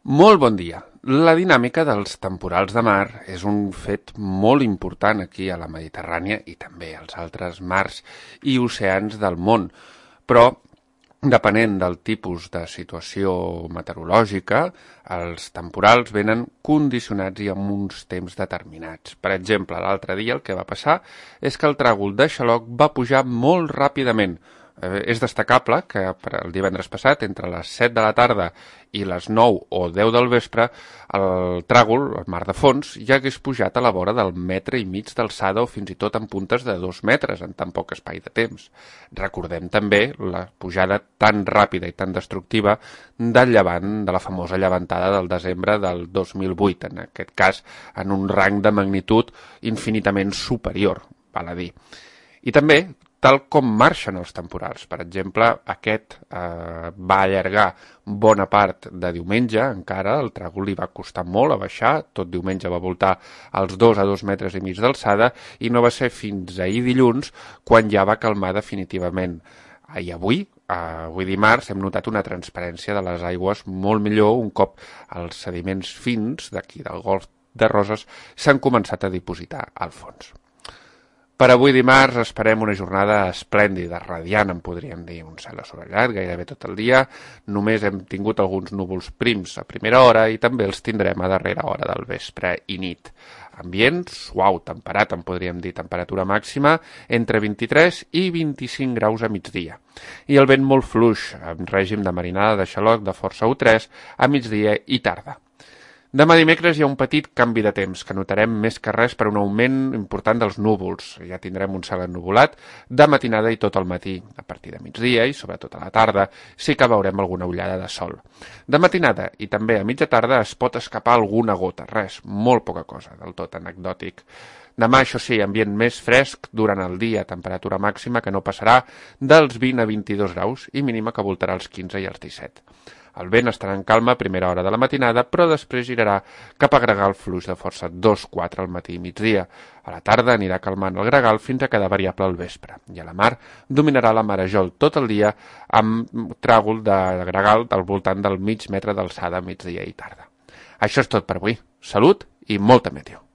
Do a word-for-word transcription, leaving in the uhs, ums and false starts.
Molt bon dia. La dinàmica dels temporals de mar és un fet molt important aquí a la Mediterrània i també als altres mars i oceans del món, però depenent del tipus de situació meteorològica, els temporals venen condicionats i amb uns temps determinats. Per exemple, l'altre dia el que va passar és que el tràgol de xaloc va pujar molt ràpidament. Eh, és destacable que el divendres passat, entre les set de la tarda i les nou o deu del vespre, el tràgol, el mar de fons, ja hagués pujat a la vora del metre i mig d'alçada o fins i tot en puntes de dos metres en tan poc espai de temps. Recordem també la pujada tan ràpida i tan destructiva del llevant, de la famosa llevantada del desembre del dos mil vuit, en aquest cas en un rang de magnitud infinitament superior, val a dir. I també, tal com marxen els temporals. Per exemple, aquest eh, va allargar bona part de diumenge, encara, el tràgol li va costar molt a baixar, tot diumenge va voltar als dos a dos metres i mig d'alçada i no va ser fins ahir dilluns quan ja va calmar definitivament. I avui, eh, avui dimarts, hem notat una transparència de les aigües molt millor un cop els sediments fins d'aquí del Golf de Roses s'han començat a dipositar al fons. Per avui dimarts esperem una jornada esplèndida, radiant, en podríem dir, un cel assolellat gairebé tot el dia. Només hem tingut alguns núvols prims a primera hora i també els tindrem a darrera hora del vespre i nit. Ambient suau, temperat, en podríem dir, temperatura màxima entre vint-i-tres i vint-i-cinc graus a migdia. I el vent molt fluix, amb règim de marinada de xaloc de força u tres a migdia i tarda. Demà dimecres hi ha un petit canvi de temps que notarem més que res per un augment important dels núvols. Ja tindrem un cel ennuvolat de matinada i tot el matí. A partir de migdia i sobretot a la tarda sí que veurem alguna ullada de sol. De matinada i també a mitja tarda es pot escapar alguna gota, res, molt poca cosa, del tot anecdòtic. Demà, això sí, ambient més fresc durant el dia, temperatura màxima que no passarà dels vint a vint-i-dos graus i mínima que voltarà als quinze i als disset. El vent estarà en calma a primera hora de la matinada, però després girarà cap a gregal fluix de força dos quatre al matí i migdia. A la tarda anirà calmant el gregal fins a quedar variable al vespre. I a la mar dominarà la marejol tot el dia amb tràgol de gregal al voltant del mig metre d'alçada a migdia i tarda. Això és tot per avui. Salut i molta meteo.